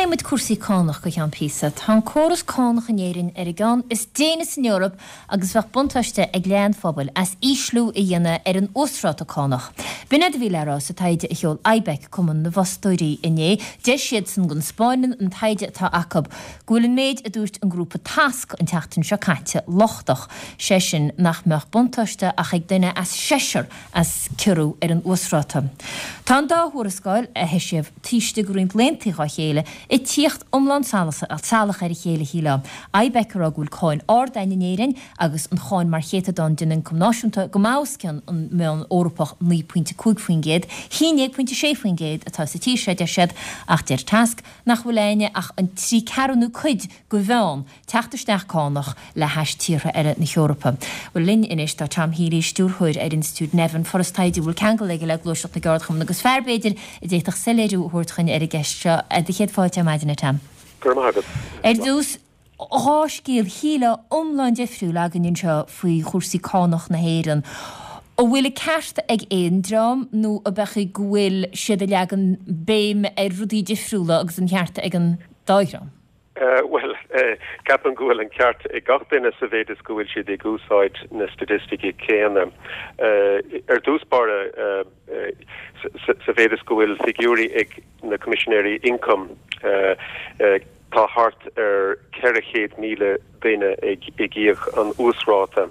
Pléifidh muid cúrsaí cánach go ceann píosa. Tá an córas cánach in Éirinn ar an gceann is déine san Eoraip agus bheadh buntáiste ag leath an phobail as ísliú a dhéanamh ar an uasráta cánach. B'in é a bhí le rá sa taighde a sheol IBEC, Cumann na bhFostóirí, inné. Deir siadsan go nspáineann an taighde atá acu go bhfuil an méid a dúirt an grúpa Tasc an tseachtain seo caite lochtach, sé sin nach mbeadh buntáiste ach ag duine as seisear as ciorrú ar an uasráta. Tá an dá thuarascáil, a heisíodh taobh istigh de roinnt laethanta dhá chéile, ag tíocht iomlán salach ar a chéile, shílfeá. IBEC ag rá go bhfuil cáin ard againn in Éirinn agus an cháin mar chéatadán den ioncam náisiúnta go maith os cionn an meán Eorpach 9.5%, 11.6% atá sa tír seo, deir siad, ach deir Tasc nach bhfuil againne ach an trí ceathrúna cuid de mheán teacht isteach cánach le hais tíortha eile na hEorpa. Bhuel, linn anois tá Tom Healy, Stiúrthóir ar Institiúid Nevin, foras taighde a bhfuil ceangal aige le Gluaiseacht na gCeardchumann agus fear, b'fhéidir, a d'fhéadfadh soiléiriú a thabhairt chugainn ar an gceist seo. Do chéad fáilte ar maidin, a Tom. Go raibh maith agat. Ar dtús, 2 scéal, shílfeá, iomlán difriúil againn anseo faoi chúrsaí cánach na hÉireann. An bhfuil an ceart ag aon dream nó ab ea go bhfuil siad ag leagan béim ar rudaí difriúla agus an ceart ag an dá dhream? Bhuel, ceapaim go bhfuil an ceart ag gach duine sa mhéid is go bhfuil siad ag úsáid na staitisticí céanna. Ar dtús báire, sa mhéid is go bhfuil figiúirí ag na Coimisinéirí Ioncaim, tá thart ar 400,000 duine ag íoc an uasráta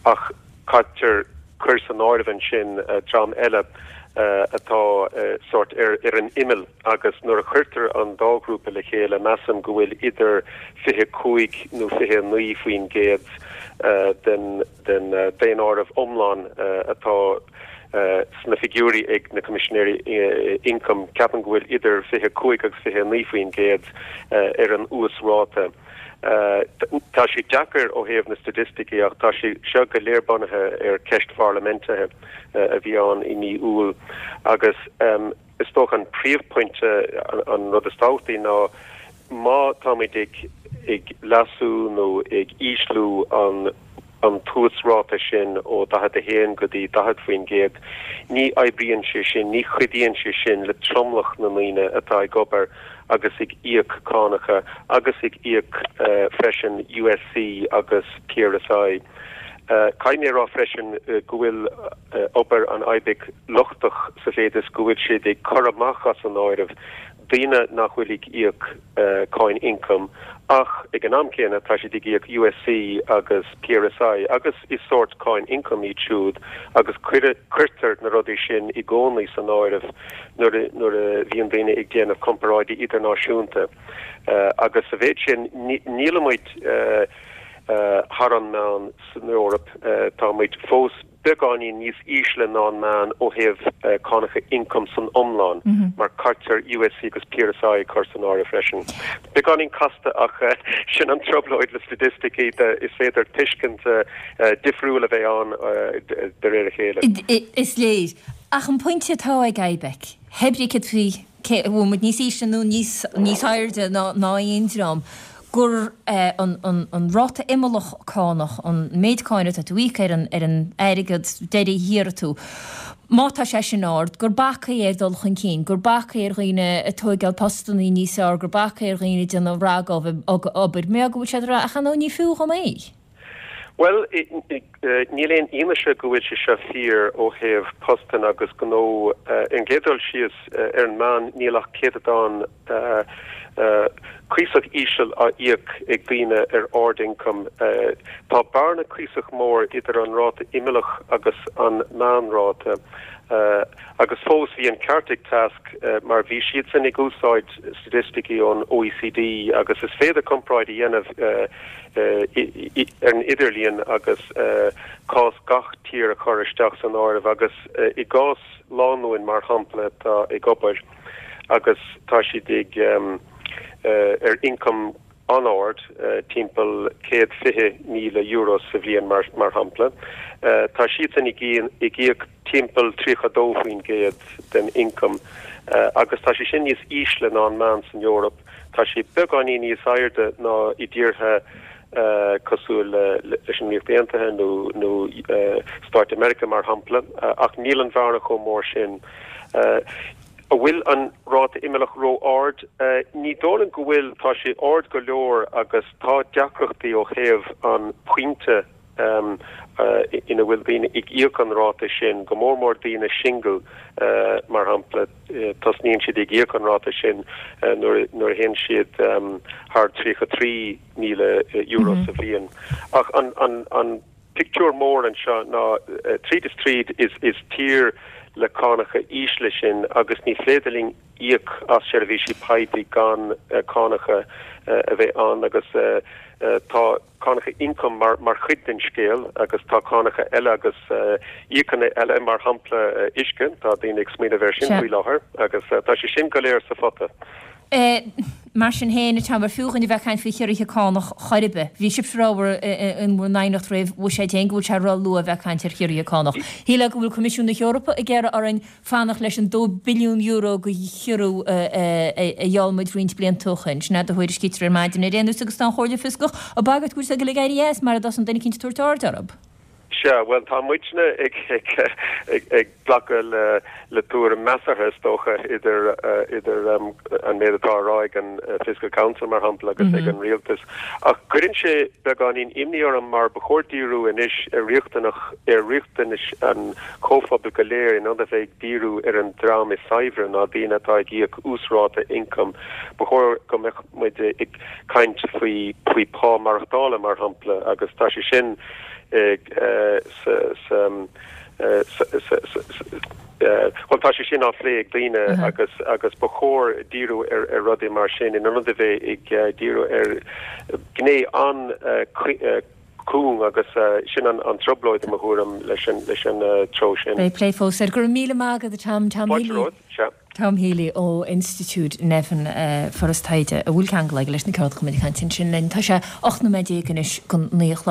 ach caitear cur san áireamh ansin dream eile atá sórt ar an imeall. Agus nuair a chuirtear an dá ghrúpa le chéile, measaim go bhfuil idir 25 nó 29% den den daonáireamh iomlán atá sna figiúirí ag na Coimisinéirí Ioncaim, ceapaim go bhfuil idir 25 agus 29% ar an uasráta. Tá sé deacair ó thaobh na staitisticí ach tá sé seo go léir bunaithe ar ceist pharlaiminte a bhí ann i mí Iúil agus Is dócha an príomhphointe, an rud is tábhachtaí ná má táimid ag ag leasú nó ag ísliú an an t-uasráta sin ó 41 go dtí 40%, ní oibríonn sé sin, ní chuidíonn sé sin le tromlach na ndaoine atá ag obair agus ag íoc cánacha agus ag íoc freisin USC agus PRSI. Caithfidh mé a rá freisin go bhfuil obair an IBEC lochtach sa mhéid is go bhfuil siad ag cur amach as an áireamh daoine nach bhfuil ag íoc cáin ioncaim ach ag an am céanna tá siad ag íoc USC agus PRSI agus is sórt cáin ioncaim iad siúd agus cuirtear na rudaí sin i gcónaí san áireamh nuair nuair a bhíonn daoine ag déanamh comparáidí idirnáisiúnta agus sa mhéid sin nílimid thar an meán san Eoraip, tá muid fós beagáinín níos ísle ná an meán ó thaobh cánacha ioncaim san iomlán, mar caitear USC agus PRSI a chur san áireamh freisin. Beagáinín casta ach sin an trioblóid le staitisticí, is féidir tuiscint difriúil a bheith ann de réir a chéile. Is léir. Ach an pointe atá ag IBEC, pé brí céard faoi cé an bhfuil muid níos ísle nó níos níos airde ná ná aon dream, gur an an an ráta imeallach cánach, an méid cáin atá tú a íoc ar an ar an airgead deiridh a hiarrfaidh tú, má tá sé sin ard, gur bac é ar dhul chun cinn, gur bac é ar dhaoine ag tóigeáil postannaí níos fearr, gur bac é ar dhaoine ag déanamh rogha obair, mar go bhfuil siad ag rá ach ar ndóigh ní fiú dhom é. Bhuel, níl aon fhianaise go bhfuil sé seo fíor ó thaobh postanna agus gnó. Ar an gcéad dul síos, ar an meán níl ach céatadán cuíosach íseal á íoc ag daoine ar ard-ioncam. Tá bearna cuíosach mór idir an ráta imeallach agus an meánráta. Agus fós, bhí an ceart ag Tasc mar bhí siadsan ag úsáid staitisticí ón OECD agus is féidir comparáid a dhéanamh ar an idirlíon agus cás gach tír a chur isteach san áireamh agus i gcás lánúin mar shampla atá ag obair agus tá siad ag ar ioncam an-ard, timpeall €120,000 sa bhliain mar shampla, tá siadsan ag íoc timpeall 32% den ioncam agus tá sé sin níos ísle ná an meán san Eoraip. Tá sé beagáinín níos airde ná i dtíortha cosúil leis an Ríocht Aontaithe nó nó Stáit Mheiriceá mar shampla, ach níl an bhearna chomh mór sin. An bhfuil an ráta imeallach ró-ard? Ní dóigh liom go bhfuil. Tá sé ard go leor agus tá deacrachtaí ó thaobh an pointe ina bhfuil daoine ag íoc an ráta sin, go mór mór daoine singil mar shampla, tosnaíonn siad ag íoc an ráta sin nuair a théann siad thar €33,000 sa bhliain. Ach an pictiúr mór anseo ná, tríd is tríd, is tír le cánacha ísle sinn agus ní féidir linn íoc as seirbhísí poiblí gan cánacha a bheith ann agus tá cánacha ioncaim mar chuid den scéal agus tá cánacha eile agus íocanna eile, mar shampla uisce, tá daoine ag smaoineamh air sin faoi láthair agus tá sé sin go léir sa phota. Mar sin féin, a Tom, ar fiú dhúinn a bheith ag caint faoi chiorruithe cánach chor ar bith? Bhí sibhse a rá in bhur n-aighneacht roimh bhuiséad féin go bhfuil sé ró-luath a bheith ag caint ar chiorruithe cánach. Shílfeá go bhfuil Coimisiún na hEorpa ag iarraidh orainn fanacht leis an €2 billiún de chiorrú a gheall muid roinnt blianta ó shin. Sin é a thuairiscítear ar maidin ar aon nós agus tá an Chomhairle Fioscach ag bagairt go bhfuil sé ag dul ag éirí as mara dtosaíonn duine eicínt ag tabhairt aird orthu. Sea, bhuel, tá muidne ag glacadh le tuairim measartha, is dócha, idir idir an méid atá á rá ag an Fiscal Council, mar shampla, agus ag an rialtas. Ach cuireann sé beagáinín imní orm mar ba chóir díriú anois ar riachtanach ar riachtanais an chomhphobail go léir in ionad a bheith ag díriú ar an dream is saibhre ná daoine atá ag íoc uasráta ioncaim. Ba chóir go mbeadh muid ag caint faoi faoi phá maireachtála, mar shampla, agus tá sé sin sa bhuel tá sé sin á phlé ag daoine agus agus ba chóir díriú ar ar rudaí mar sin in ionad a bheith ag díriú ar ghné an-chúng agus sin an an trioblóid i mo thuairim leis an leis an treo sin. Beidh plé fós air. Go raibh míle maith agat a Tom. Tom Fáilte romhat. Sea. Tom Healy ó Institiúid Nevin, Foras Taighde a bhfuil ceangal aige leis na ceardchumainn ag caint ansin linn. Tá sé 18 nóiméad anois go 9 a chlog.